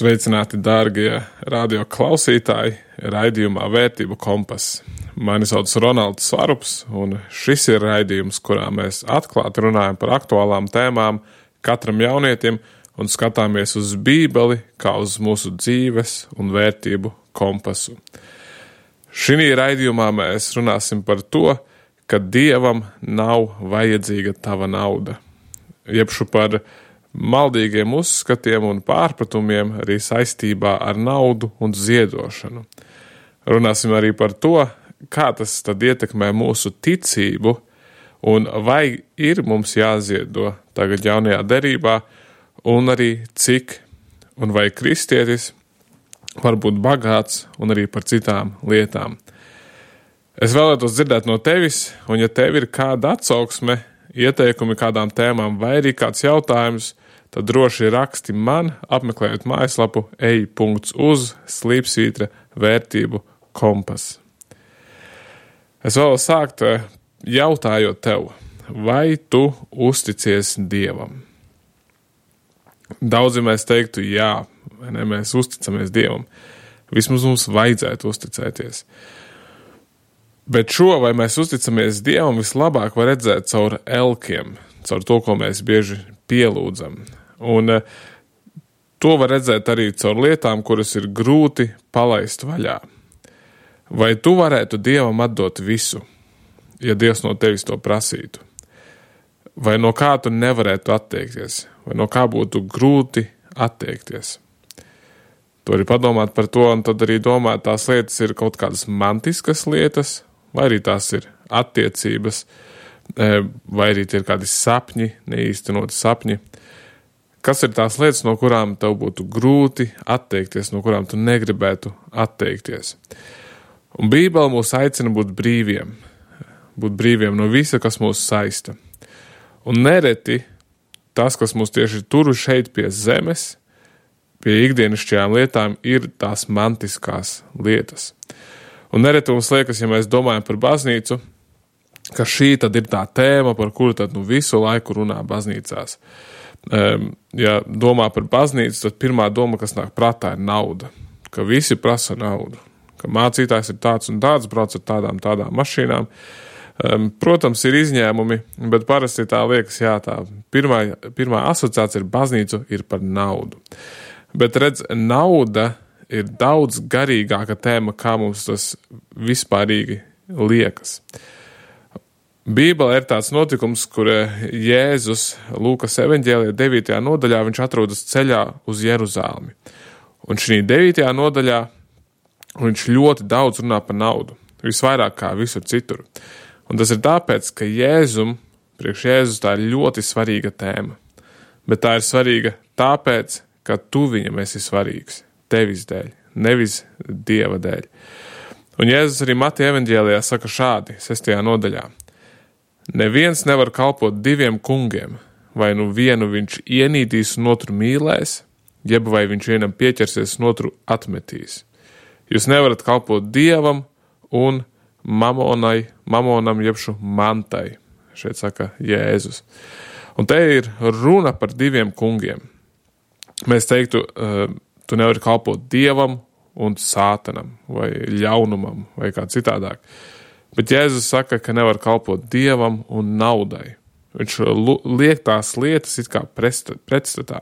Sveicināti, dārgie radio klausītāji, raidījumā Vērtību kompass. Mani sauc Ronalds Svarups, un šis ir raidījums, kurā mēs atklāti runājam par aktuālām tēmām katram jaunietim un skatāmies uz Bībeli kā uz mūsu dzīves un vērtību kompasu. Šī raidījumā mēs runāsim par to, ka Dievam nav vajadzīga tava nauda, jebšu par maldīgiem uzskatiem un pārpratumiem arī saistībā ar naudu un ziedošanu. Runāsim arī par to, kā tas tad ietekmē mūsu ticību un vai ir mums jāziedo tagad jaunajā derībā un arī cik un vai kristietis var būt bagāts un arī par citām lietām. Es vēlētos dzirdēt no tevis, un ja tev ir kāda atsauksme, ieteikumi kādām tēmām vai arī kāds jautājums, tad droši raksti man, apmeklējot mājaslapu ej.uz/vērtību kompas. Es vēlos sākt jautājot tev, vai tu uzticies Dievam? Daudzi mēs teiktu jā, vai ne, mēs uzticamies Dievam. Vismaz mums vajadzētu uzticēties. Bet šo, vai mēs uzticamies Dievam, vislabāk var redzēt caur elkiem, caur to, ko mēs bieži pielūdzam. Un to var redzēt arī caur lietām, kuras ir grūti palaist vaļā. Vai tu varētu Dievam atdot visu, ja Dievs no tevis to prasītu? Vai no kā tu nevarētu atteikties? Vai no kā būtu grūti atteikties? Tu vari padomāt par to, un tad arī domāt, tās lietas ir kaut kādas mantiskas lietas, vai arī tās ir attiecības, vai arī tie ir kādi sapņi, neīstenoti sapņi. Kas ir tās lietas, no kurām tev būtu grūti atteikties, no kurām tu negribētu atteikties? Un Bībele mūs aicina būt brīviem no visa, kas mūs saista. Un nereti tas, kas mūs tieši tur šeit pie zemes, pie ikdienišķajām lietām, ir tās mantiskās lietas. Un nereti mums liekas, ja mēs domājam par baznīcu, ka šī tad ir tā tēma, par kuru tad visu laiku runā baznīcās. Ja domā par baznīcu, tad pirmā doma, kas nāk prātā, ir nauda. Ka visi prasa naudu. Ka mācītājs ir tāds un tāds, brauc ar tādām mašīnām. Protams, ir izņēmumi, bet parasti tā liekas, jā, tā pirmā asociācija ar baznīcu ir par naudu. Bet redz, nauda ir daudz garīgāka tēma, kā mums tas vispārīgi liekas. Bībelē ir tāds notikums, kur Jēzus Lūkas evaņģēlijā 9. nodaļā viņš atrodas ceļā uz Jeruzālemi. Un šī 9. nodaļā viņš ļoti daudz runā par naudu, visvairāk kā visur citur. Un tas ir tāpēc, ka priekš Jēzus tā ir ļoti svarīga tēma. Bet tā ir svarīga tāpēc, ka tu viņam esi svarīgs, tevis dēļ, nevis Dieva dēļ. Un Jēzus arī Mateja evaņģēlijā saka šādi, 6. nodaļā. Neviens nevar kalpot diviem kungiem, vai vienu viņš ienīdīs un otru mīlēs, jeb vai viņš vienam pieķersies un otru atmetīs. Jūs nevarat kalpot Dievam un mamonam jebšu mantai, šeit saka Jēzus. Un te ir runa par diviem kungiem. Mēs teiktu, tu nevari kalpot Dievam un sātanam, vai ļaunumam, vai kā citādāk. Bet Jēzus saka, ka nevar kalpot Dievam un naudai. Viņš liek tās lietas it kā pretstatā.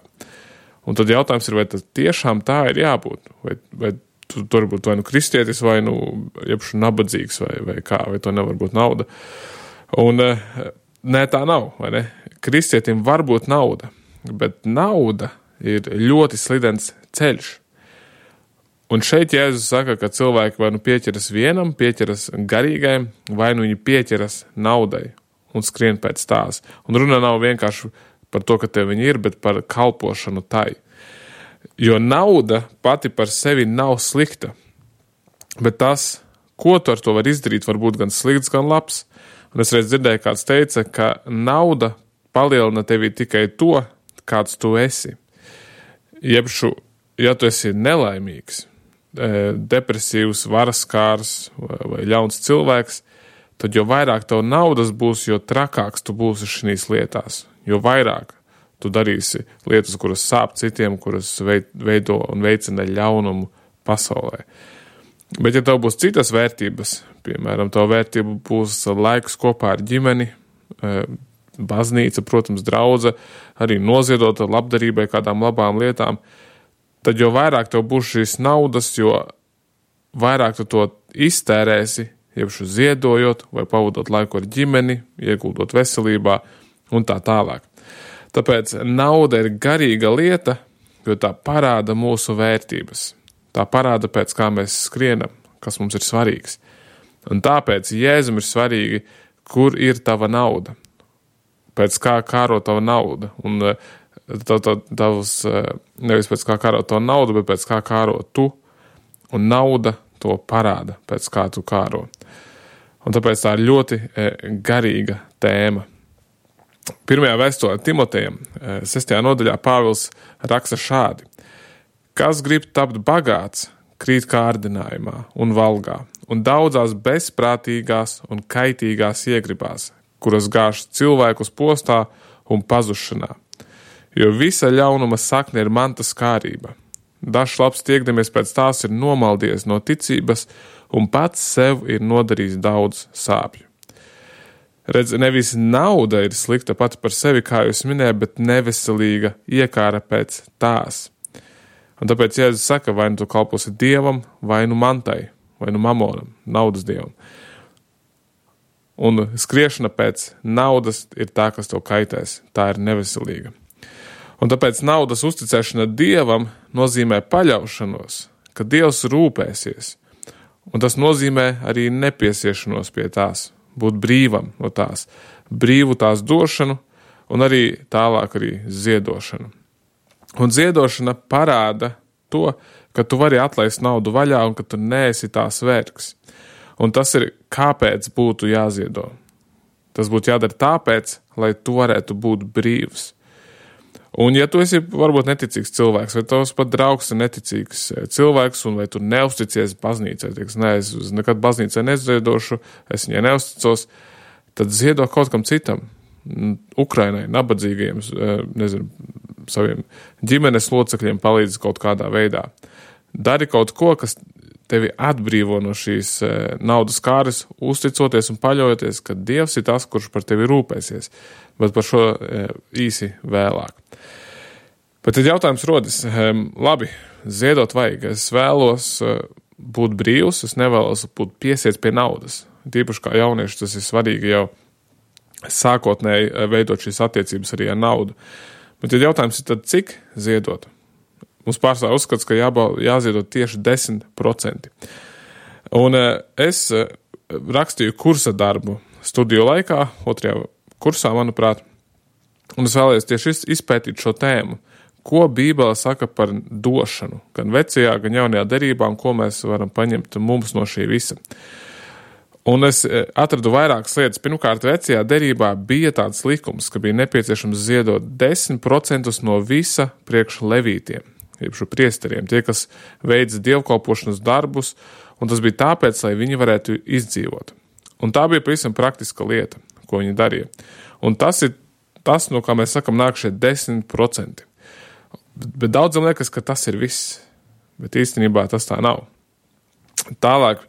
Un tad jautājums ir, vai tas tiešām tā ir jābūt? Vai tu tur būt vai kristietis, vai jebšu nabadzīgs, vai kā, vai to nevar būt nauda. Un nē, tā nav, vai ne? Kristietim var būt nauda, bet nauda ir ļoti slidens ceļš. Un šeit Jēzus saka, ka cilvēki vai pieķeras vienam, pieķeras garīgajam, vai viņi pieķeras naudai un skrien pēc tās. Un runa nav vienkārši par to, ka tev viņi ir, bet par kalpošanu tai. Jo nauda pati par sevi nav slikta, bet tas, ko tu ar to var izdarīt, var būt gan slikts, gan labs. Un es reiz dzirdēju, kāds teica, ka nauda palielina tevi tikai to, kāds tu esi. Jebšu, ja tu esi nelaimīgs, depresīvs, varaskārs vai ļauns cilvēks, tad jo vairāk tev naudas būs, jo trakāks tu būsi šīs lietās. Jo vairāk tu darīsi lietas, kuras sāp citiem, kuras veido un veicina ļaunumu pasaulē. Bet ja tev būs citas vērtības, piemēram, tev vērtība būs laiks kopā ar ģimeni, baznīca, protams, draudze, arī noziedota labdarībai kādām labām lietām, tad jo vairāk tev būs šīs naudas, jo vairāk tu to iztērēsi, jebšu ziedojot vai pavadot laiku ar ģimeni, ieguldot veselībā un tā tālāk. Tāpēc nauda ir garīga lieta, jo tā parāda mūsu vērtības. Tā parāda, pēc kā mēs skrienam, kas mums ir svarīgs. Un tāpēc Jēzum ir svarīgi, kur ir tava nauda, pēc kā kāro tava nauda. Un nevis pēc kā kāro tava nauda, bet pēc kā kāro tu, un nauda to parāda, pēc kā tu kāro. Un tāpēc tā ir ļoti garīga tēma. Pirmajā vēstulē Timotejam, 6. nodaļā, Pāvils raksta šādi. Kas grib tapt bagāts, krīt kārdinājumā un valgā, un daudzās bezprātīgās un kaitīgās iegribās, kuras gāž cilvēkus postā un pazušanā. Jo visa ļaunuma sakne ir mantas kārība. Dažs labs tiekdamies pēc tās ir nomaldies no ticības un pats sev ir nodarījis daudz sāpju. Redz, nevis nauda ir slikta pati par sevi, kā jūs minēju, bet neveselīga iekāra pēc tās. Un tāpēc Jēzus saka, vai nu tu kalposi Dievam, vai nu mantai, vai nu mamonam, naudas dievam. Un skriešana pēc naudas ir tā, kas tev kaitēs. Tā ir neveselīga. Un tāpēc naudas uzticēšana Dievam nozīmē paļaušanos, ka Dievs rūpēsies. Un tas nozīmē arī nepiesiešanos pie tās, būt brīvam no tās, brīvu tās došanu un arī tālāk arī ziedošanu. Un ziedošana parāda to, ka tu vari atlaist naudu vaļā un ka tu neesi tās vergs. Un tas ir, kāpēc būtu jāziedo. Tas būtu jādara tāpēc, lai tu varētu būt brīvs. Un ja tu esi varbūt neticīgs cilvēks, vai tavs pat draugs ir neticīgs cilvēks, un vai tu neusticies baznīcai, es nekad baznīcai neziedošu, es viņai neusticos, tad ziedo kaut kam citam, Ukrainai, nabadzīgajiem, saviem ģimenes locekļiem palīdz kaut kādā veidā. Dari kaut ko, kas tevi atbrīvo no šīs naudas kāres, uzticoties un paļaujoties, ka Dievs ir tas, kurš par tevi rūpēsies, bet par šo īsi vēlāk. Bet tad jautājums rodas, labi, ziedot vajag, es vēlos būt brīvs, es nevēlos būt piesiets pie naudas. Tīpaši kā jaunieši tas ir svarīgi jau sākotnēji veidot šīs attiecības arī ar naudu. Bet tad jautājums ir tad, cik ziedot? Mums pārstāv uzskats, ka jāziedot tieši 10%. Un es rakstīju kursa darbu studiju laikā, 2. kursā, manuprāt, un es vēlējos tieši izpētīt šo tēmu. Ko Bībele saka par došanu, gan vecajā, gan jaunajā derībā, un ko mēs varam paņemt mums no šī visa. Un es atradu vairākas lietas. Pirmkārt, vecajā derībā bija tāds likums, ka bija nepieciešams ziedot 10% no visa priekš levītiem, jeb priesteriem, tie, kas veids dievkalpošanas darbus, un tas bija tāpēc, lai viņi varētu izdzīvot. Un tā bija pavisam praktiska lieta, ko viņi darīja. Un tas ir tas, no kā mēs sakam, nāk šie 10%. Bet daudzam liekas, ka tas ir viss, bet īstenībā tas tā nav. Tālāk,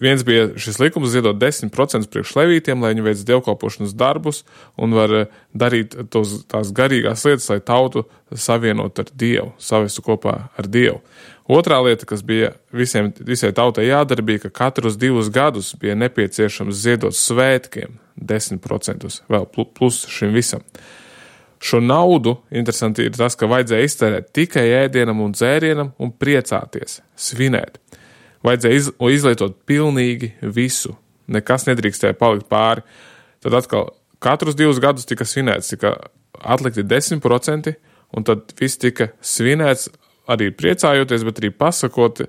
viens bija šis likums ziedot 10% priekš levītiem, lai viņi veic dievkalpošanas darbus un var darīt tās garīgās lietas, lai tautu savienot ar Dievu, savestu kopā ar Dievu. Otrā lieta, kas bija visai tautai jādara, bija, ka katrus 2 gadus bija nepieciešams ziedot svētkiem 10% vēl plus šim visam. Šo naudu, interesanti ir tas, ka vajadzēja iztērēt tikai ēdienam un dzērienam un priecāties, svinēt. Vajadzēja izlietot pilnīgi visu. Nekas nedrīkstēja palikt pāri. Tad atkal katrus 2 gadus tika svinēts, tika atlikti 10%, un tad viss tika svinēts arī priecājoties, bet arī pasakot,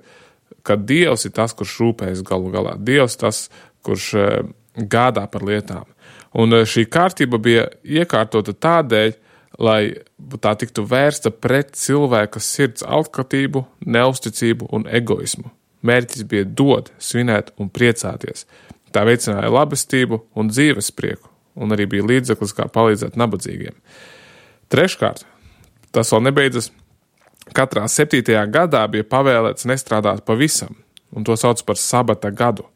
ka Dievs ir tas, kurš rūpējas galu galā. Dievs tas, kurš gādā par lietām. Un šī kārtība bija iekārtota tādēļ, lai tā tiktu vērsta pret cilvēka sirds alkatību, neusticību un egoismu. Mērķis bija dot, svinēt un priecāties. Tā veicināja labestību un dzīves prieku, un arī bija līdzeklis, kā palīdzēt nabadzīgiem. Treškārt, tas vēl nebeidzas. Katrā 7. gadā bija pavēlēts nestrādāt pavisam, un to sauc par sabata gadu.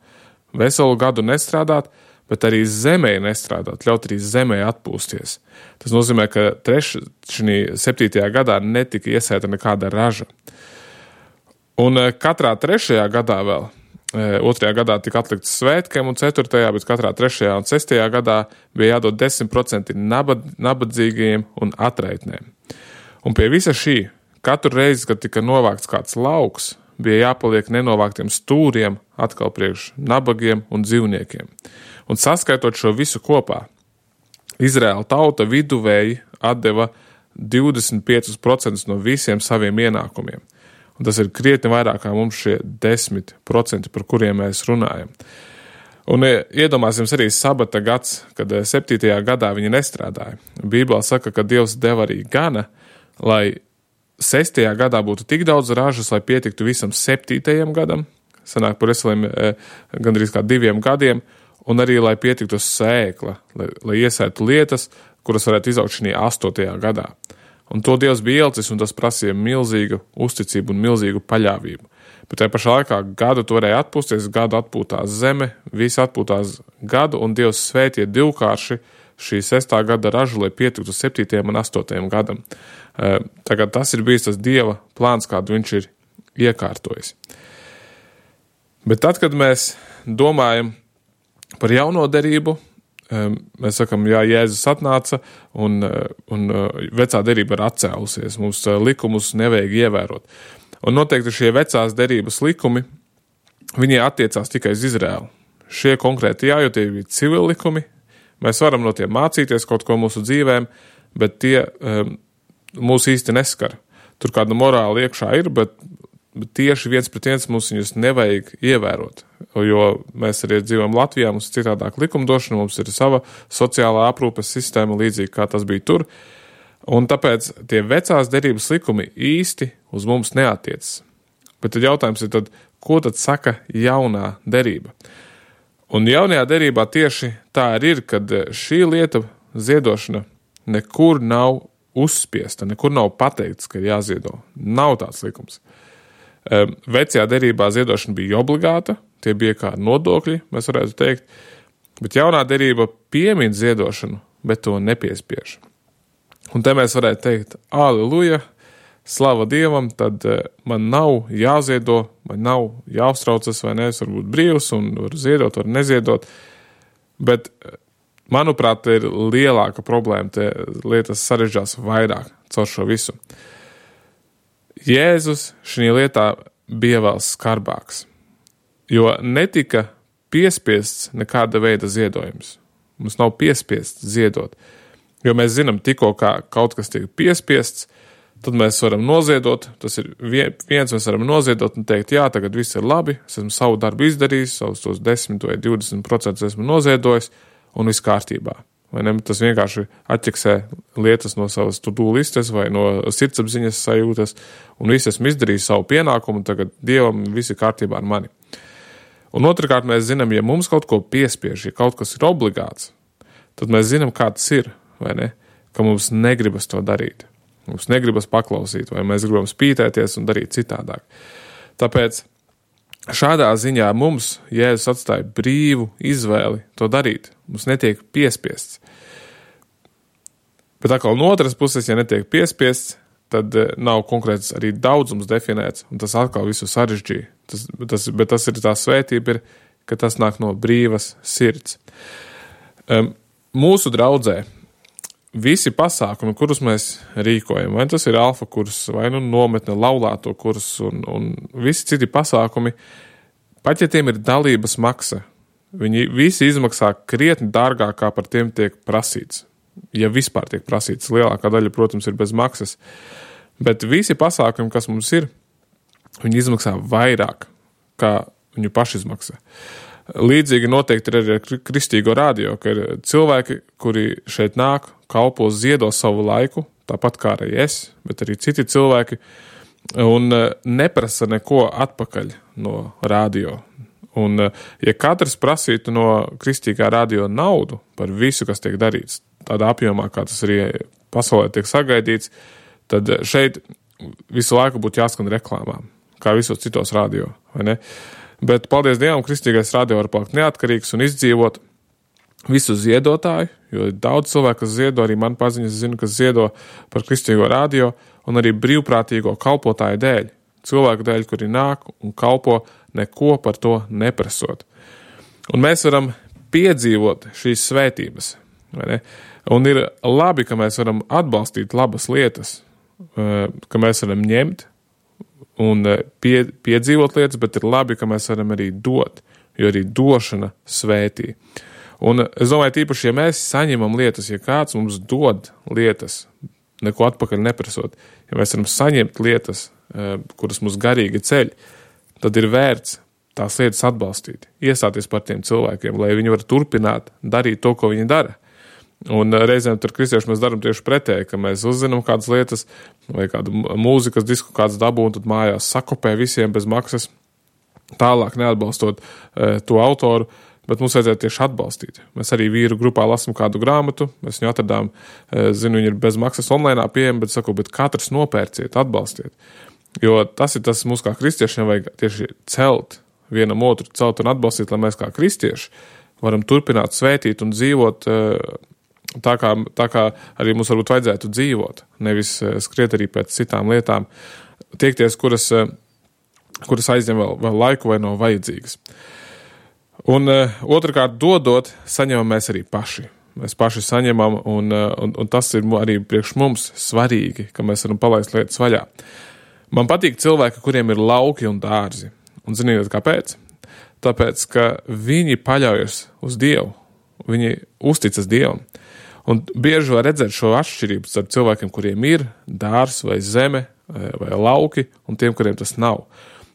Veselu gadu nestrādāt, bet arī zemē nestrādāt, ļaut arī zemē atpūsties. Tas nozīmē, ka 7. gadā netika iesēta nekāda raža. Un katrā 3. gadā vēl, 2. gadā tika atlikts svētkiem un 4. bet katrā 3. un 6. gadā bija jādod 10% nabadzīgajiem un atraitnēm. Un pie visa šī, katru reizi, kad tika novākts kāds lauks, bija jāpaliek nenovāktiem stūriem atkal priekš nabagiem un dzīvniekiem. Un saskaitot šo visu kopā, Izraēla tauta viduvēji atdeva 25% no visiem saviem ienākumiem. Un tas ir krietni vairāk kā mums šie 10%, par kuriem mēs runājam. Un iedomāsim arī sabata gads, kad 7. gadā viņi nestrādāja. Bībelē saka, ka Dievs deva arī gana, lai 6. gadā būtu tik daudz ražas, lai pietiktu visam 7. gadam, sanāk par veseliem gandrīz kā 2 gadiem, un arī, lai pietiktu sēkla, lai iesētu lietas, kuras varētu izaugt šī 8. gadā. Un to Dievs bija ielicis, un tas prasīja milzīgu uzticību un milzīgu paļāvību. Bet tajā pašā laikā gadu tu varēja atpūsties, gadu atpūtās zeme, visi atpūtās gadu, un Dievs svētīja divkārši šī 6. gada ražu, lai pietiktu 7. un 8. gadam. Tagad tas ir bijis tas Dieva plāns, kādu viņš ir iekārtojis. Bet tad, kad mēs domājam par jauno derību, mēs sakam, jā, Jēzus atnāca un vecā derība ir atcēlusies. Mums likumus nevajag ievērot. Un noteikti šie vecās derības likumi, viņi attiecās tikai uz Izraēlu. Šie konkrēti tie bija civili likumi. Mēs varam no tiem mācīties kaut ko mūsu dzīvēm, bet tie mūs īsti neskar. Tur kāda morāla iekšā ir, bet tieši 1:1 mums viņus nevajag ievērot. Jo mēs arī dzīvojam Latvijā, mums ir citādāk likumdošana, mums ir sava sociālā aprūpes sistēma, līdzīgi kā tas bija tur. Un tāpēc tie vecās derības likumi īsti uz mums neatiecas. Bet tad jautājums ir, ko tad saka jaunā derība? Un jaunajā derībā tieši tā arī ir, kad šī lieta ziedošana nekur nav uzspiesta, nekur nav pateikts, ka ir jāziedo. Nav tāds likums. Vecajā derībā ziedošana bija obligāta, tie bija kā nodokļi, mēs varētu teikt, bet jaunā derība piemin ziedošanu, bet to nepiespiež. Un te mēs varētu teikt, aleluja, slava Dievam, tad man nav jāziedo, man nav jāuztraucas vai ne, es varu būt brīvs un varu ziedot, varu neziedot, bet, manuprāt, ir lielāka problēma, te lietas sarežģās vairāk caur šo visu. Jēzus šī lietā bija vēl skarbāks, jo netika piespiests nekāda veida ziedojums. Mums nav piespiests ziedot, jo mēs zinām, tikko kā kaut kas tiek piespiests, tad mēs varam noziedot, tas ir viens, mēs varam noziedot un teikt, jā, tagad viss ir labi, es esmu savu darbu izdarījis, savus tos 10 vai 20% esmu noziedojis un viss kārtībā. Vai ne? Tas vienkārši atķeksē lietas no savas to-do listes vai no sirdsapziņas sajūtas un viss esmu izdarījis savu pienākumu, tagad Dievam viss ir kārtībā ar mani. Un otrkārt mēs zinām, ja mums kaut ko piespiež, ja kaut kas ir obligāts, tad mēs zinām, kā tas ir, vai ne? Ka mums negribas to darīt. Mums negribas paklausīt, vai mēs gribam spītēties un darīt citādāk. Tāpēc šādā ziņā mums Jēzus atstāja brīvu izvēli to darīt. Mums netiek piespiests. Bet atkal no otras puses, ja netiek piespiests, tad nav konkrēts arī daudzums definēts, un tas atkal visu sarežģīja. Bet tas ir tā svētība, ka tas nāk no brīvas sirds. Mūsu draudzē visi pasākumi, kurus mēs rīkojam, vai tas ir alfa kurs, vai nometne laulāto kurs un visi citi pasākumi, pat ja tiem ir dalības maksa, viņi visi izmaksā krietni dārgāk, kā par tiem tiek prasīts. Ja vispār tiek prasīts, lielākā daļa, protams, ir bez maksas. Bet visi pasākumi, kas mums ir, viņi izmaksā vairāk, kā viņu pašizmaksa. Līdzīgi noteikti ir arī ar Kristīgo radio, ka ir cilvēki, kuri šeit nāk, kalpo, ziedo savu laiku, tāpat kā arī es, bet arī citi cilvēki, un neprasa neko atpakaļ no radio. Un ja katrs prasītu no Kristīgā radio naudu par visu, kas tiek darīts, tādā apjomā, kā tas arī pasaulē tiek sagaidīts, tad šeit visu laiku būtu jāskan reklāmām, kā visos citos radio, vai ne? Bet, paldies Dievam, kristīgais radio var palikt neatkarīgs un izdzīvot visu ziedotāju, jo daudz cilvēku, kas ziedo, arī man paziņas zinu, kas ziedo par kristīgo radio, un arī brīvprātīgo kalpotāju dēļ, cilvēku dēļ, kuri nāk un kalpo, neko par to neprasot. Un mēs varam piedzīvot šīs svētības, vai ne? Un ir labi, ka mēs varam atbalstīt labas lietas, ka mēs varam ņemt un piedzīvot lietas, bet ir labi, ka mēs varam arī dot, jo arī došana svētī. Un es domāju, tīpaši, ja mēs saņemam lietas, ja kāds mums dod lietas, neko atpakaļ neprasot, ja mēs varam saņemt lietas, kuras mums garīgi ceļ, tad ir vērts tās lietas atbalstīt, iestāties par tiem cilvēkiem, lai viņi var turpināt darīt to, ko viņi dara. Un reizēm tur kristieši mēs darām tieši pretēji, ka mēs uzzinām kādas lietas vai kādu mūzikas disku kāds dabū un tad mājās sakopē visiem bez maksas, tālāk neatbalstot to autoru, bet mums vajadzētu tieši atbalstīt. Mēs arī vīru grupā lasam kādu grāmatu, mēs viņu atradām, zinu, viņi ir bez maksas online pieejami, bet katrs nopērciet, atbalstiet. Jo tas ir tas mums kā kristiešiem vajag tieši celt vienam otru, celt un atbalstīt, lai mēs kā kristieši varam turpināt svētīt un dzīvot tā kā arī mums varbūt vajadzētu dzīvot, nevis skriet arī pēc citām lietām, tiekties, kuras aizņem vēl laiku vai nav vajadzīgas. Un otrkārt, dodot, saņemam mēs arī paši. Mēs paši saņemam, un tas ir arī priekš mums svarīgi, ka mēs varam palaist lietas vaļā. Man patīk cilvēki, kuriem ir lauki un dārzi. Un ziniet, kāpēc? Tāpēc, ka viņi paļaujas uz Dievu, viņi uzticas Dievam. Un bieži var redzēt šo atšķirību starp cilvēkiem, kuriem ir dārs vai zeme vai lauki, un tiem, kuriem tas nav.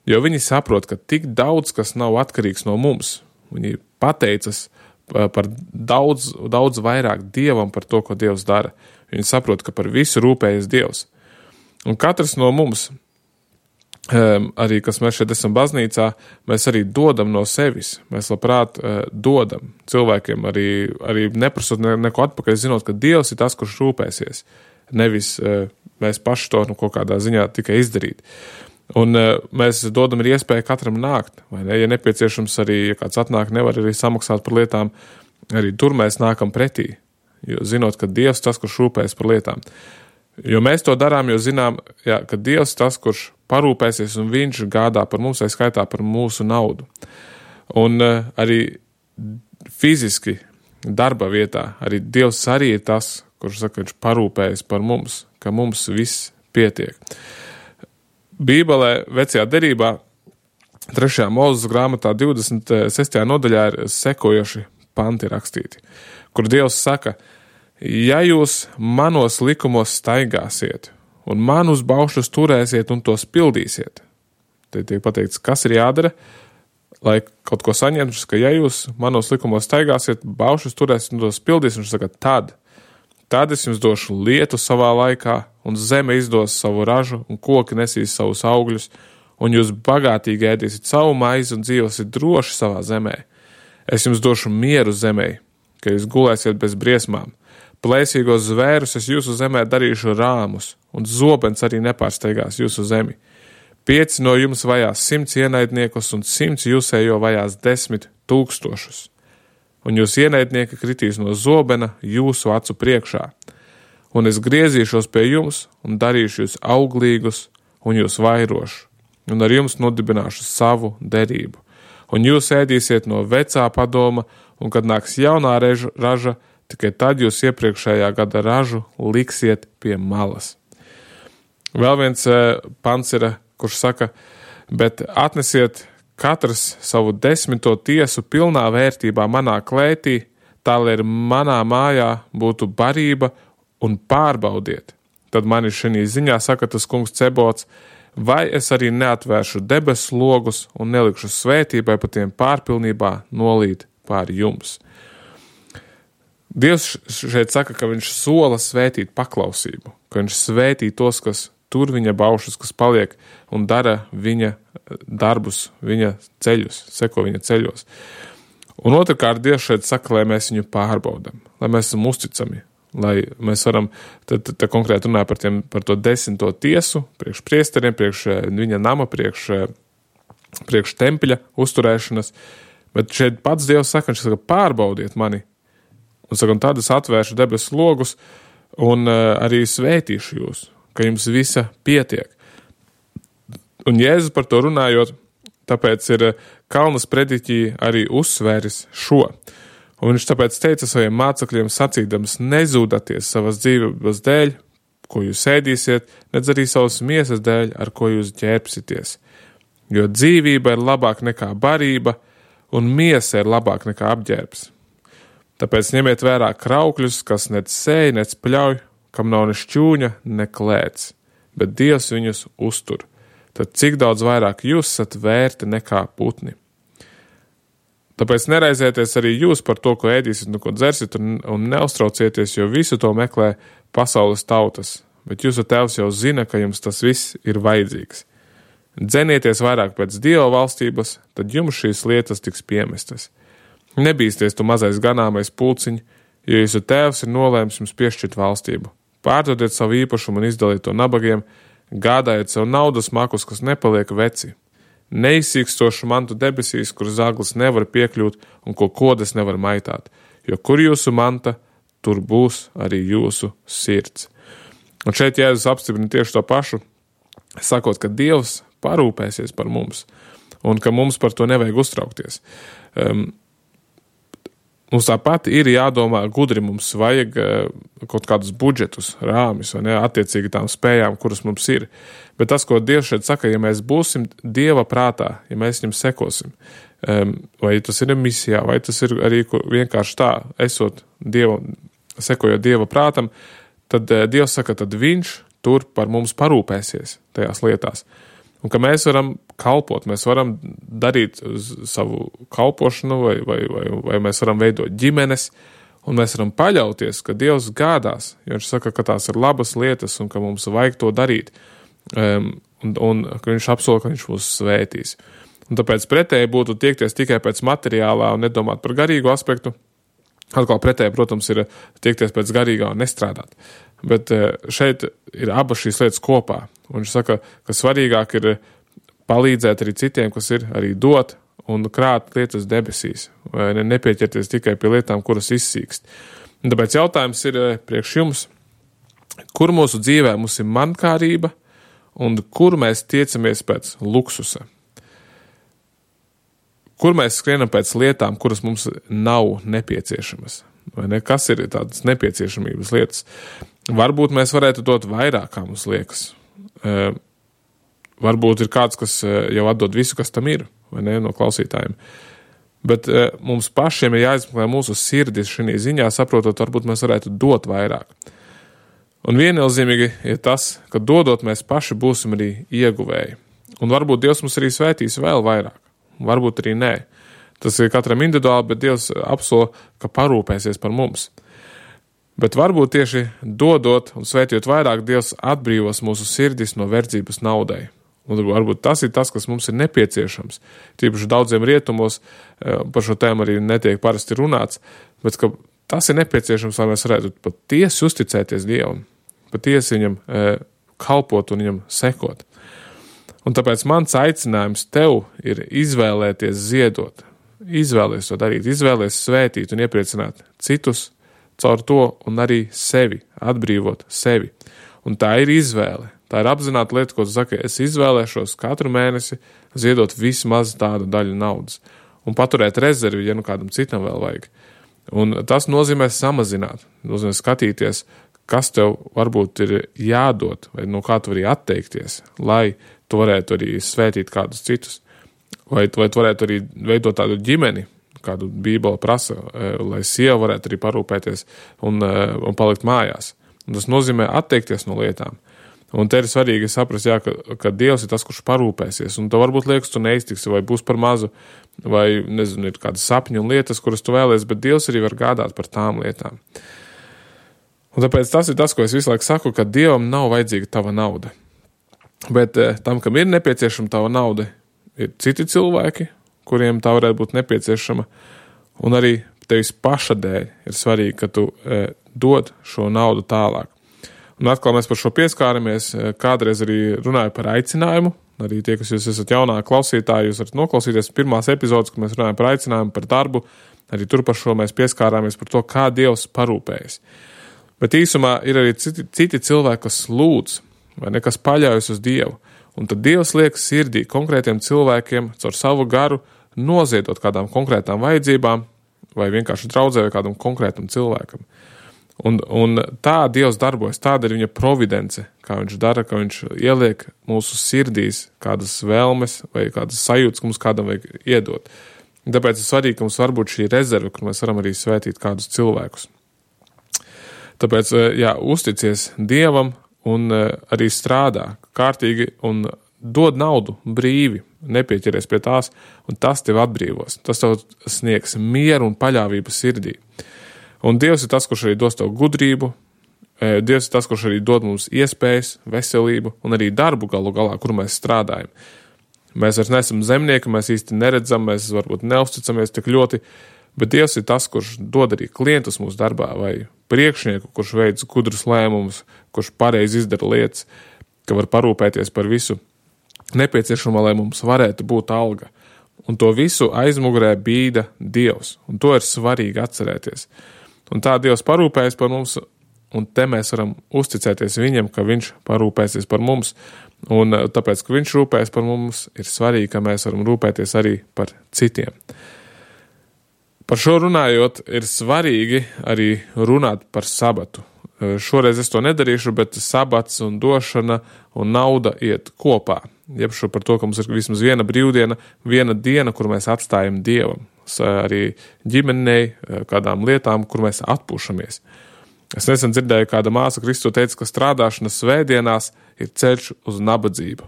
Jo viņi saprot, ka tik daudz, kas nav atkarīgs no mums, viņi pateicas par daudz vairāk Dievam par to, ko Dievs dara. Viņi saprot, ka par visu rūpējas Dievs. Un katrs no mums, arī, kas mēs šeit esam baznīcā, mēs arī dodam no sevis. Mēs labprāt dodam cilvēkiem, arī neprasot neko atpakaļ, zinot, ka Dievs ir tas, kurš rūpēsies. Nevis mēs paši to kaut kādā ziņā tikai izdarīt. Un mēs dodam arī iespēju katram nākt, vai ne? Ja nepieciešams arī, ja kāds atnāk, nevar arī samaksāt par lietām, arī tur mēs nākam pretī, jo zinot, ka Dievs tas, kurš rūpēs par lietām. Jo mēs to darām, jo zinām, ka Dievs tas, kurš parūpēsies un viņš gādā par mums, vai skaitā par mūsu naudu. Un arī fiziski darba vietā, arī Dievs arī ir tas, kurš saka, viņš parūpējas par mums, ka mums viss pietiek. Bībelē, vecajā derībā, 3. Mūzes grāmatā 26. nodaļā ir sekojoši panti rakstīti, kur Dievs saka, ja jūs manos likumos staigāsiet un manus baušļus turēsiet un tos pildīsiet, tad tiek pateikts, kas ir jādara, lai kaut ko saņemtu, ka ja jūs manos likumos staigāsiet, baušļus turēsiet un tos pildīsiet, viņš saka, tad es jums došu lietu savā laikā, un zeme izdos savu ražu, un koki nesīs savus augļus, un jūs bagātīgi ēdīsiet savu maizi un dzīvosiet droši savā zemē. Es jums došu mieru zemē, ka jūs gulēsiet bez briesmām. Plēsīgos zvērus es jūsu zemē darīšu rāmus, un zobens arī nepārsteigās jūsu zemi. 5 no jums vajās 100 ienaidniekus, un 100 jūsējo vajās 10 000. Un jūs ienaidnieki kritīs no zobena jūsu acu priekšā. Un es griezīšos pie jums un darīšu jūs auglīgus un jūs vairošu, un ar jums nodibināšu savu derību. Un jūs ēdīsiet no vecā padoma, un kad nāks jaunā raža, tikai tad jūs iepriekšējā gada ražu liksiet pie malas. Vēl viens pants ir, kurš saka, bet atnesiet katrs savu 10. tiesu pilnā vērtībā manā klētī, tā lai manā mājā būtu barība un pārbaudiet. Tad man ir šī ziņā saka tas kungs Cebots, vai es arī neatvēršu debesu logus un nelikšu svētībai pa tiem pārpilnībā nolīt pār jums. Dievs šeit saka, ka viņš sola svētīt paklausību, ka viņš svētī tos, kas tur viņa baušus, kas paliek un dara viņa darbus, viņa ceļus, seko viņa ceļos. Un otrkārt, Dievs šeit saka, lai mēs viņu pārbaudam, lai mēs esam uzticami, lai mēs varam, tad konkrēti runāt par to 10. tiesu, priekš priesteriem, priekš viņa nama, priekš tempļa uzturēšanas, bet šeit pats Dievs saka, viņš saka, pārbaudiet mani, un saka, un tad es atvēršu debesu logus, un arī svētīšu jūs, ka jums visa pietiek. Un Jēzus par to runājot, tāpēc ir Kalnas prediķī arī uzsvēris šo. Un viņš tāpēc teica saviem mācekļiem sacīdams, nezūdaties savas dzīvības dēļ, ko jūs ēdīsiet, nedz arī savas miesas dēļ, ar ko jūs ģērbsities. Jo dzīvība ir labāk nekā barība, un miesa ir labāk nekā apģērbs. Tāpēc ņemiet vērā kraukļus, kas nec sēj, nec pļauj, kam nav ne šķūņa, ne klēts, bet Dievs viņus uztur. Tad cik daudz vairāk jūs esat vērti nekā putni. Tāpēc neraizieties arī jūs par to, ko ēdīsiet un ko dzersiet, un neuztraucieties, jo visu to meklē pasaules tautas, bet jūsu tēvs jau zina, ka jums tas viss ir vajadzīgs. Dzenieties vairāk pēc Dieva valstības, tad jums šīs lietas tiks piemestas. Nebīsties tu mazais ganāmais pulciņ, jo jūsu tēvs ir nolēmis jums piešķirt valstību. Pārdodiet savu īpašumu un izdaliet to nabagiem, gādājiet sev naudas makus, kas nepaliek veci. Neizsīkstošu mantu debesīs, kur zaglis nevar piekļūt un ko kodas nevar maitāt, jo kur jūsu manta, tur būs arī jūsu sirds. Un šeit Jēzus apstiprina tieši to pašu, sakot, ka Dievs parūpēsies par mums un ka mums par to nevajag uztraukties. Mums tāpat ir jādomā gudri, mums vajag kaut kādus budžetus, rāmis, vai ne, attiecīgi tām spējām, kuras mums ir. Bet tas, ko Dievs šeit saka, ja mēs būsim Dieva prātā, ja mēs viņam sekosim, vai tas ir misijā, vai tas ir arī vienkārši tā, sekojot Dieva prātam, tad Dievs saka, tad viņš tur par mums parūpēsies tajās lietās. Un ka mēs varam kalpot, mēs varam darīt savu kalpošanu vai mēs varam veidot ģimenes, un mēs varam paļauties, ka Dievs gādās, jo viņš saka, ka tās ir labas lietas un ka mums vajag to darīt, un ka viņš apsola, ka viņš mūs svētīs. Un tāpēc pretēji būtu tiekties tikai pēc materiālā un nedomāt par garīgu aspektu. Atkal pretēji, protams, ir tiekties pēc garīgā un nestrādāt. Bet šeit ir abas šīs lietas kopā. Un viņš saka, ka svarīgāk ir palīdzēt arī citiem, kas ir arī dot un krāt lietas debesīs. Vai nepieķerties tikai pie lietām, kuras izsīkst. Un tāpēc jautājums ir priekš jums, kur mūsu dzīvē mums ir mankārība un kur mēs tiecamies pēc luksusa. Kur mēs skrienam pēc lietām, kuras mums nav nepieciešamas? Vai ne? Kas ir tādas nepieciešamības lietas? Varbūt mēs varētu dot vairāk, kā mums liekas. Varbūt ir kāds, kas jau atdod visu, kas tam ir, vai ne, no klausītājiem. Bet mums pašiem ir jāizmeklē mūsu sirdis šī ziņā, saprotot, varbūt mēs varētu dot vairāk. Un viennozīmīgi ir tas, ka dodot mēs paši būsim arī ieguvēji. Un varbūt Dievs mums arī svētīs vēl vairāk. Varbūt arī nē. Tas ir katram individuāli, bet Dievs apsola, ka parūpēsies par mums. Bet varbūt tieši dodot un svētījot vairāk, Dievs atbrīvos mūsu sirdis no verdzības naudai. Un varbūt tas ir tas, kas mums ir nepieciešams. Tīpaši daudziem rietumos par šo tēmu arī netiek parasti runāts, bet ka tas ir nepieciešams, lai mēs varētu patiesi uzticēties Dievam, patiesi viņam kalpot un viņam sekot. Un tāpēc mans aicinājums tev ir izvēlēties ziedot, izvēlēties to darīt, izvēlēties svētīt un iepriecināt citus caur to un arī sevi, atbrīvot sevi. Un tā ir izvēle, tā ir apzināta lieta, ko tu saki, es izvēlēšos katru mēnesi ziedot vismaz tādu daļu naudas un paturēt rezervi, ja nu kādam citam vēl vajag. Un tas nozīmē samazināt, nozīmē skatīties, kas tev varbūt ir jādod vai no kā tu vari atteikties, lai tu varētu arī svētīt kādus citus, vai tu varētu arī veidot tādu ģimeni, kādu Bībele prasa, lai sieva varētu arī parūpēties un palikt mājās. Un tas nozīmē atteikties no lietām. Un te ir svarīgi saprast, ka Dievs ir tas, kurš parūpēsies, un tev varbūt liekas, tu neiztiksi, vai būs par mazu, vai, nezinu, ir kādas sapņu un lietas, kuras tu vēlies, bet Dievs arī var gādāt par tām lietām. Un tāpēc tas ir tas, ko es visu laiku saku, ka Dievam nav vajadzīga tava nauda. Bet tam, kam ir nepieciešama tava nauda, ir citi cilvēki, kuriem tā varētu būt nepieciešama, un arī tevis paša dēļ ir svarīgi, ka tu dod šo naudu tālāk. Un atkal mēs par šo pieskāramies, kādreiz arī runāju par aicinājumu, arī tie, kas jūs esat jaunā klausītāji, jūs varat noklausīties pirmās epizodes, kad mēs runājam par aicinājumu, par darbu, arī tur par šo mēs pieskārāmies par to, kā Dievs parūpējas. Bet īsumā ir arī citi cilvēki, kas lūdz, vai ne, kas paļaujas uz Dievu, un tad Dievs liek sirdī konkrētiem cilvēkiem caur savu garu noziedot kādām konkrētām vajadzībām, vai vienkārši draudzē vai kādam konkrētam cilvēkam. Un tā Dievs darbojas, tāda ir viņa providence, kā viņš dara, ka viņš ieliek mūsu sirdīs kādas vēlmes vai kādas sajūtas, ka mums kādam vajag iedot. Tāpēc ir svarīgi, ka mums var būt šī rezerve, kur mēs varam arī svētīt kādus cilvēkus. Tāpēc, uzticies Dievam un arī strādā kārtīgi un dod naudu brīvi, nepieķeries pie tās, un tas tev atbrīvos. Tas tev sniegs mieru un paļāvību sirdī. Un Dievs ir tas, kurš arī dos tev gudrību, Dievs ir tas, kurš arī dod mums iespējas, veselību un arī darbu galu galā, kur mēs strādājam. Mēs vairs neesam zemnieki, mēs īsti neredzam, mēs varbūt neusticamies tik ļoti, bet Dievs ir tas, kurš dod arī klientus mūsu darbā vai priekšnieku, kurš veic gudrus lēmumus, kurš pareizi izdara lietas, ka var parūpēties par visu nepieciešamo, lai mums varētu būt alga. Un to visu aizmugurē bīda Dievs, un to ir svarīgi atcerēties. Un tā Dievs parūpējas par mums, un te mēs varam uzticēties viņam, ka viņš parūpēsies par mums, un tāpēc, ka viņš rūpējas par mums, ir svarīgi, ka mēs varam rūpēties arī par citiem. Par šo runājot, ir svarīgi arī runāt par sabatu. Šoreiz es to nedarīšu, bet sabats un došana un nauda iet kopā. Jebšu par to, ka mums ir vismaz viena brīvdiena, viena diena, kur mēs atstājam Dievam. Arī ģimenei, kādām lietām, kur mēs atpūšamies. Es nesen dzirdēju, kāda māsa Kristu teica, ka strādāšana svētdienās ir ceļš uz nabadzību.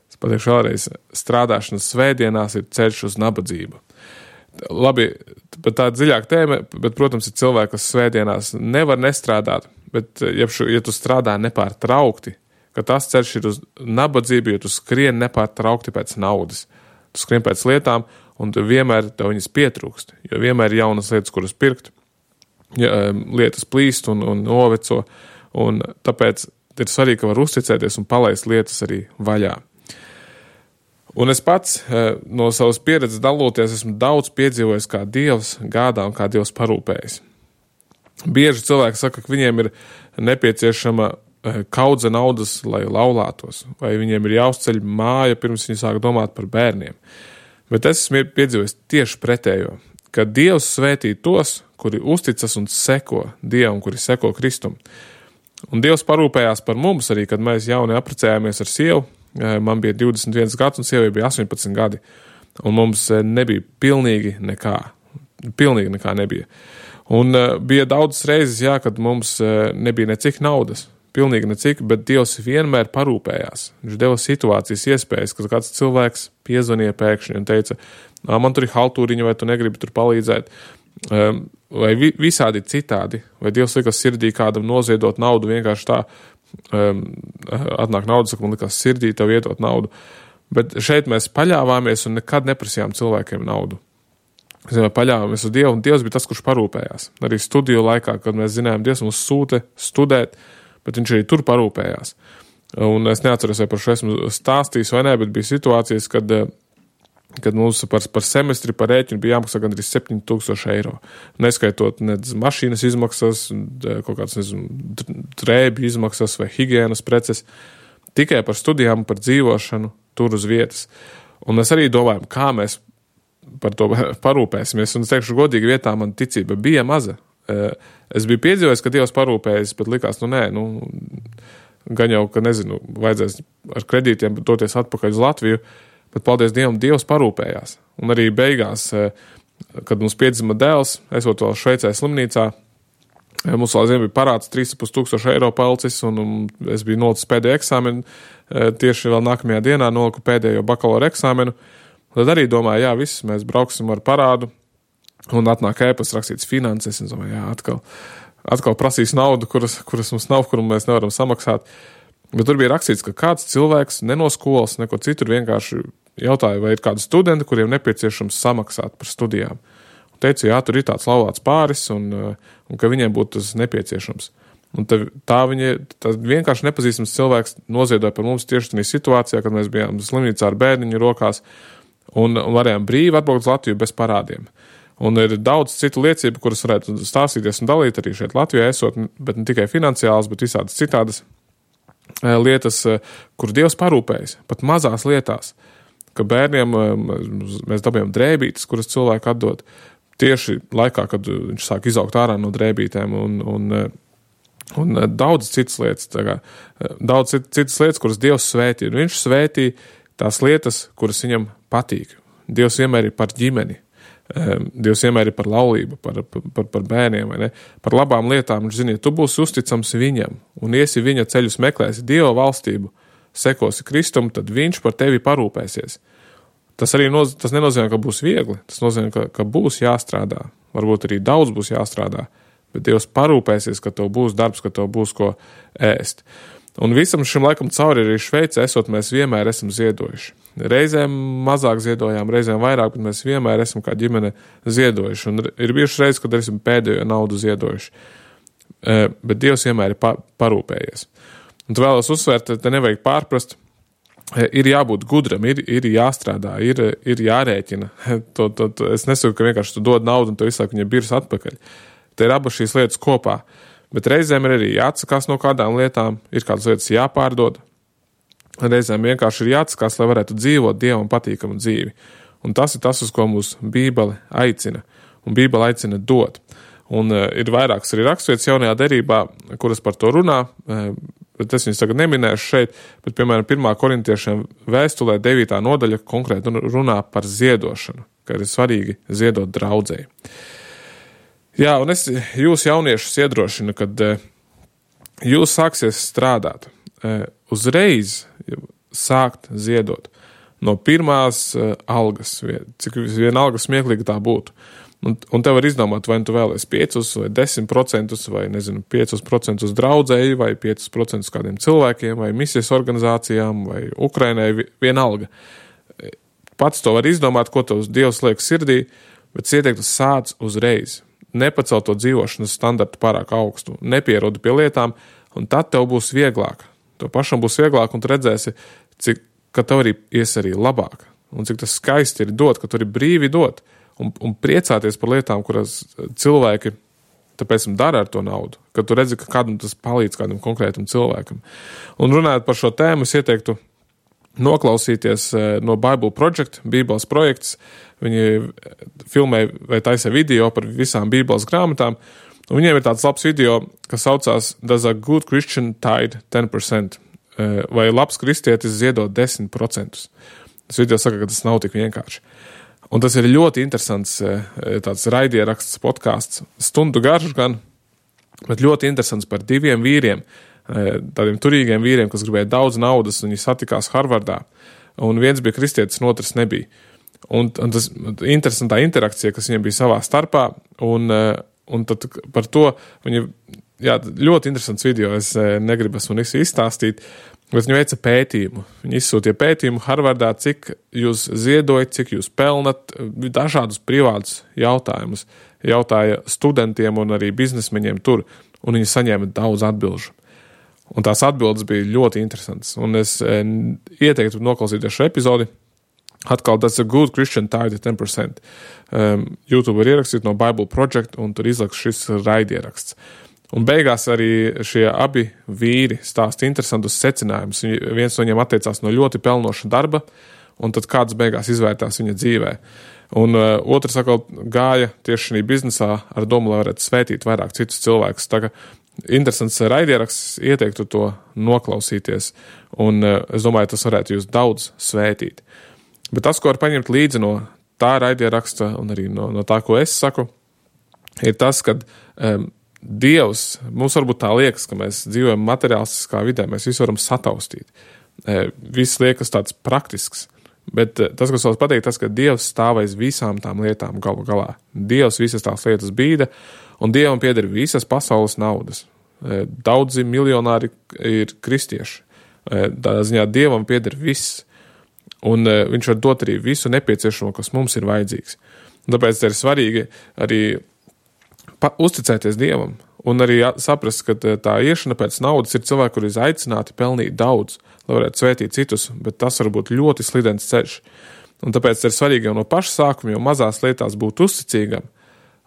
Es pateikšu vēlreiz, strādāšana svētdienās ir ceļš uz nabadzību. Labi, bet tā dziļāk tēma, bet, protams, ir cilvēki, kas svētdienās nevar nestrādāt, bet, ja tu strādā nepārtraukti, ka tas ceļš ir uz nabadzību, jo tu skrien nepārtraukti pēc naudas. Tu skrien pēc lietām, un vienmēr tev viņas pietrūkst, jo vienmēr ir jaunas lietas, kuras pirkt, lietas plīst un noveco, un tāpēc ir svarīgi, ka var uzticēties un palaist lietas arī vaļā. Un es pats no savas pieredzes daloties esmu daudz piedzīvojis, kā Dievs gādā un kā Dievs parūpējas. Bieži cilvēki saka, ka viņiem ir nepieciešama kaudze naudas, lai laulātos, vai viņiem ir jāuzceļ māja, pirms viņi sāk domāt par bērniem. Bet es esmu piedzīvojis tieši pretējo, ka Dievs svētī tos, kuri uzticas un seko Dievam, kuri seko Kristum. Un Dievs parūpējās par mums arī, kad mēs jauni apprecējāmies ar sievu. Man bija 21 gads un sievai bija 18 gadi. Un mums nebija pilnīgi nekā. Pilnīgi nekā nebija. Un bija daudzas reizes, kad mums nebija necik naudas. Pilnīgi necik, bet Dievs vienmēr parūpējās. Viņš deva situācijas iespējas, kad kāds cilvēks piezvanīja pēkšņi un teica, man tur ir haltūriņa, vai tu negribi tur palīdzēt. Vai visādi citādi. Vai Dievs likas sirdī kādam noziedot naudu vienkārši tā, atnāk nauda, saka, man likās sirdī tev iedot naudu. Bet šeit mēs paļāvāmies un nekad neprasījām cilvēkiem naudu. Mēs paļāvāmies uz Dievu, un Dievs bija tas, kurš parūpējās. Arī studiju laikā, kad mēs zinājām, Dievs mums sūta studēt, bet viņš arī tur parūpējās. Un es neatceros, vai par šo esmu stāstījis vai ne, bet bija situācijas, kad mums par semestri, par rēķinu bija jāmaksā gandrīz 7,000 eiro. Neskaitot nedz mašīnas izmaksas, kaut kāds, drēbju izmaksas vai higienas preces, tikai par studijām, par dzīvošanu tur uz vietas. Un mēs arī domājam, kā mēs par to parūpēsimies. Un es teikšu, godīgi vietā man ticība bija maza. Es biju piedzīvojis, ka Dievs parūpējas, bet likās, gan jau, ka nezinu, vajadzēs ar kredītiem doties atpakaļ uz Latviju, bet paldies Dievam, Dievs parūpējās. Un arī beigās, kad mums piedzima dēls, esot vēl Šveicē slimnīcā, mums vēl ziem bija parāds 3,500 eiro palicis, un es biju nolicis pēdējo eksāmenu, tieši vēl nākamajā dienā noliku pēdējo bakalaura eksāmenu. Tad arī domāju, viss, mēs brauksim ar parādu, un atnāk ēpas rakstīts finanses, un domāju, atkal prasīs naudu, kuras mums nav, kuru mēs nevaram samaksāt. Bet tur bija rakstīts, ka kāds cilvēks ne no skolas, neko citur vienkārši jautāja, vai ir kādi studenti, kuriem nepieciešams samaksāt par studijām. Un teicu, jā, tur ir tāds laulāts pāris un ka viņiem būtu tas nepieciešams. Un tā vienkārši nepazīstams cilvēks noziedoja par mums tieši tādā situācijā, kad mēs bijām slimnīcā ar bērniņu rokās un varējām brīvi atbraukt uz Latviju bez parādiem. Un ir daudz citu liecību, kuras varētu stāstīties un dalīt arī šeit Latvijā esot, bet ne tikai finansiāls, bet visādas citādas lietas, kur Dievs parūpējas, pat mazās lietās, ka bērniem mēs dabījām drēbītes, kuras cilvēki atdod tieši laikā, kad viņš sāk izaugt ārā no drēbītēm un daudz citas lietas, kuras Dievs svētī. Un viņš svētī tās lietas, kuras viņam patīk. Dievs vienmēr ir par ģimeni. Dievs vienmēr ir par laulību, par bērniem, vai ne? Par labām lietām. Viņš zina, ja tu būsi uzticams viņam un iesi viņa ceļus meklēsi Dieva valstību, sekosi Kristum, tad viņš par tevi parūpēsies. Tas nenozīmē, ka būs viegli. Tas nozīmē, ka būs jāstrādā. Varbūt arī daudz būs jāstrādā. Bet Dievs parūpēsies, ka tev būs darbs, ka tev būs ko ēst. Un visam šim laikam cauri arī Šveicē esot, mēs vienmēr esam ziedojuši. Reizēm mazāk ziedojām, reizēm vairāk, bet mēs vienmēr esam kā ģimene ziedojuši. Un ir bijuši reizes, kad esam pēdējo naudu ziedojuši. Bet Dievs vienmēr ir parūpējies. Un tu vēlos uzsvērt, te nevajag pārprast, ir jābūt gudram, ir jāstrādā, ir jārēķina. Es nesaku, ka vienkārši tu dod naudu un tu visu laiku viņa birs atpakaļ. Te ir abas šīs lietas kopā. Bet reizēm ir arī jāatsakās no kādām lietām, ir kādas lietas jāpārdod. Reizēm vienkārši ir jāatsakās, lai varētu dzīvot Dievam patīkamu dzīvi. Un tas ir tas, uz ko mūs Bībele aicina. Un Bībele aicina dot. Un ir vairākas arī raksturvietas jaunajā derībā, kuras par to runā, bet es viņus tagad neminēšu šeit, bet, piemēram, 1. korintiešiem vēstulē 9. nodaļa konkrēti runā par ziedošanu, ka ir svarīgi ziedot draudzei. Jā, un es jūs jauniešus iedrošinu, kad jūs sāksies strādāt, uzreiz sākt ziedot no pirmās algas, cik vienalga smieklīgi tā būtu. Un tev var izdomāt, vai tu vēlies 5 vai 10%, vai, 5% draudzēji, vai 5% kādiem cilvēkiem, vai misijas organizācijām, vai Ukrainai, vienalga. Pats to var izdomāt, ko tev Dievs liek sirdī, bet ieteiktu sāc uzreiz. Nepacel to dzīvošanas standartu pārāk augstu, nepierodi pie lietām, un tad tev būs vieglāk. Tev pašam būs vieglāk, un tu redzēsi, ka tev arī ies arī labāk, un cik tas skaisti ir dot, ka tu arī brīvi dot, un priecāties par lietām, kuras cilvēki tāpēc dara ar to naudu, ka tu redzi, ka kādam tas palīdz kādam konkrētam cilvēkam. Un runājot par šo tēmu, es ieteiktu noklausīties no Bible Project, Bībeles projekts. Viņi filmē vai taisa video par visām Bībeles grāmatām, un viņiem ir tāds labs video, kas saucās Does a good Christian tithe 10%? Vai labs kristietis ziedot 10%? Tas video saka, ka tas nav tik vienkārši. Un tas ir ļoti interesants tāds raidieraksts, podcasts, stundu garš gan, bet ļoti interesants par 2 vīriem, tādiem turīgiem vīriem, kas gribēja daudz naudas, un viņi satikās Harvardā, un viens bija kristietis, un otrs nebija. Un tas interesantā interakcija, kas viņiem bija savā starpā, un tad par to viņi, jā, ļoti interesants video, es negribu esmu visu izstāstīt, bet viņi veica pētījumu. Viņi izsūtīja pētījumu Harvardā, cik jūs ziedojat, cik jūs pelnat, dažādus privātus jautājumus. Jautāja studentiem un arī biznesmeņiem tur, un viņi saņēma daudz atbilžu. Un tās atbildes bija ļoti interesantas. Un es ieteiktu noklausīties šo epizodi. Atkal, that's a good Christian tithe 10%. YouTube var ierakstīt no Bible Project, un tur izlaks šis raidieraksts. Un beigās arī šie abi vīri stāsta interesantus secinājumus. Viens no viņiem atteicās no ļoti pelnoša darba, un tad kāds beigās izvērtās viņa dzīvē. Un otrs atkal gāja tieši šī biznesā ar domu, lai varētu svētīt vairāk citus cilvēkus. Tā kā interesants raidieraksts, ieteiktu to noklausīties, un es domāju, tas varētu jūs daudz svētīt. Bet tas, ko var paņemt līdzi no tā raidieraksta un arī no tā, ko es saku, ir tas, ka Dievs, mums varbūt tā liekas, ka mēs dzīvojam materiālistiskā vidē, mēs visu varam sataustīt. Viss liekas tāds praktisks, bet tas, kas vēl pateikt, tas, ka Dievs stāv aiz visām tām lietām galu galā. Dievs visas tās lietas bīda, un Dievam pieder visas pasaules naudas. Daudzi miljonāri ir kristieši. Tādā ziņā Dievam pieder viss, un viņš var dot arī visu nepieciešamo, kas mums ir vajadzīgs. Un tāpēc ir svarīgi arī uzticēties Dievam un arī saprast, ka tā iešana pēc naudas ir cilvēki, kuri ir aicināti pelnīt daudz, lai varētu svētīt citus, bet tas var būt ļoti slidens ceļš. Un tāpēc ir svarīgi jau no paša sākuma, jau mazās lietās būt uzticīgam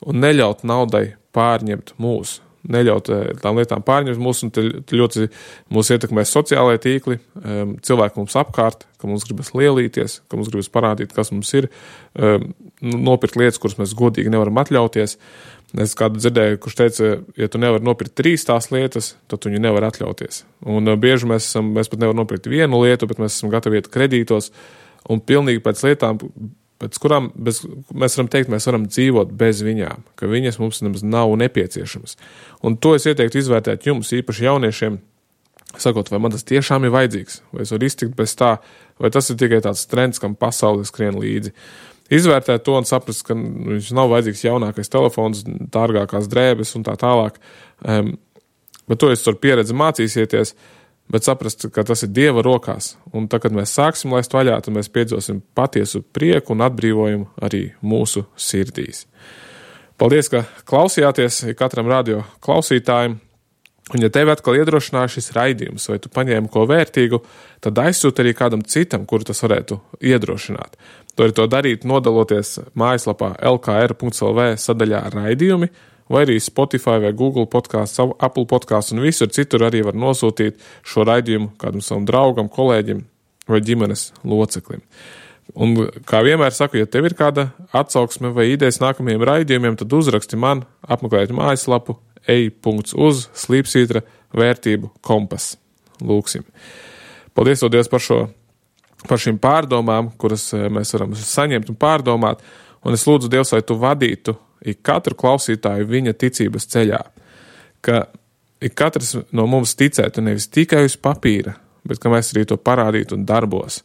un neļaut naudai pārņemt mūs. Neļaut tām lietām pārņemt mūs, un ļoti mūs ietekmē sociālai tīkli, cilvēki mums apkārt, ka mums gribas lielīties, ka mums gribas parādīt, kas mums ir, nopirkt lietas, kuras mēs godīgi nevaram atļauties. Es kādu dzirdēju, kurš teica, ja tu nevari nopirkt 3 tās lietas, tad tu viņu nevar atļauties. Un bieži mēs pat nevaram nopirkt 1 lietu, bet mēs esam gatavi iet kredītos, un pilnīgi pēc lietām, pēc kurām mēs varam teikt, mēs varam dzīvot bez viņām, ka viņas mums nemaz nav nepieciešamas. Un to es ieteiktu izvērtēt jums, īpaši jauniešiem, sakot, vai man tas tiešām ir vajadzīgs, vai es varu iztikt bez tā, vai tas ir tikai tāds trends, kam pasaule skrien līdzi. Izvērtēt to un saprast, ka viņš nav vajadzīgs jaunākais telefons, dārgākās drēbes un tā tālāk. Bet to jūs ar pieredzi mācīsieties, bet saprast, ka tas ir Dieva rokās. Un tad, kad mēs sāksim laist vaļā, tad mēs piedzīvosim patiesu prieku un atbrīvojumu arī mūsu sirdīs. Paldies, ka klausījāties katram radio klausītājiem. Un ja tevi atkal iedrošināja šis raidījums, vai tu paņēmi ko vērtīgu, tad aizsūti arī kādam citam, kuru tas varētu iedrošināt. Tu vari to darīt, nodaloties mājaslapā lkr.lv sadaļā raidījumi, vai arī Spotify vai Google podcasts, Apple podcasts un visur citur arī var nosūtīt šo raidījumu kādam savam draugam, kolēģim vai ģimenes loceklim. Un kā vienmēr saku, ja tev ir kāda atsauksme vai idejas nākamajiem raidījumiem, tad uzraksti man, apmeklēt mājaslapu ej.uz/slīpsvītra vērtību kompas. Lūksim. Paldies Dievs par šīm pārdomām, kuras mēs varam saņemt un pārdomāt, un es lūdzu Dievs, lai tu vadītu ik katru klausītāju viņa ticības ceļā, ka ik katrs no mums ticētu nevis tikai uz papīra, bet ka mēs arī to parādītu un darbos.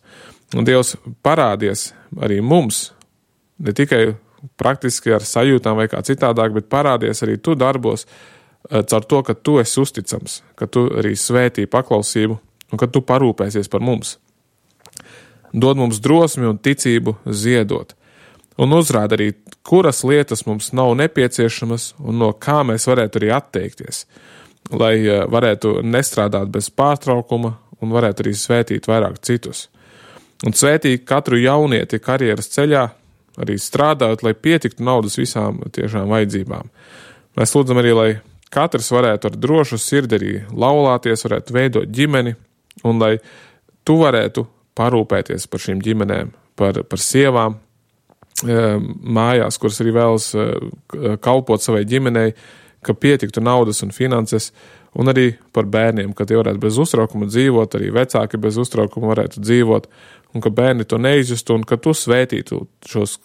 Un Dievs parādies arī mums, ne tikai praktiski ar sajūtām vai kā citādāk, bet parādies arī tu darbos caur to, ka tu esi uzticams, ka tu arī svētī paklausību un ka tu parūpēsies par mums. Dod mums drosmi un ticību ziedot. Un uzrāda arī, kuras lietas mums nav nepieciešamas un no kā mēs varētu arī atteikties, lai varētu nestrādāt bez pārtraukuma un varētu arī svētīt vairāk citus. Un svētīt katru jaunieti karjeras ceļā, arī strādājot, lai pietiktu naudas visām tiešām vajadzībām. Mēs lūdzam arī, lai katrs varētu ar drošu sirdi arī laulāties, varētu veidot ģimeni, un lai tu varētu parūpēties par šīm ģimenēm, par sievām mājās, kuras arī vēlas kalpot savai ģimenei, ka pietiktu naudas un finanses, un arī par bērniem, ka tie varētu bez uztraukuma dzīvot, arī vecāki bez uztraukuma varētu dzīvot, un ka bērni to neizjustu, un ka tu svētītu šos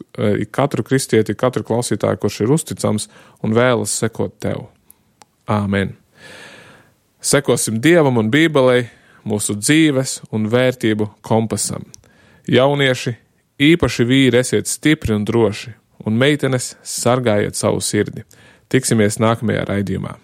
katru kristieti, katru klausītāju, kurš ir uzticams un vēlas sekot tev. Āmen. Sekosim Dievam un Bībelei, mūsu dzīves un vērtību kompasam. Jaunieši, īpaši vīri, esiet stipri un droši, un meitenes sargājiet savu sirdi. Tiksimies nākamajā raidījumā.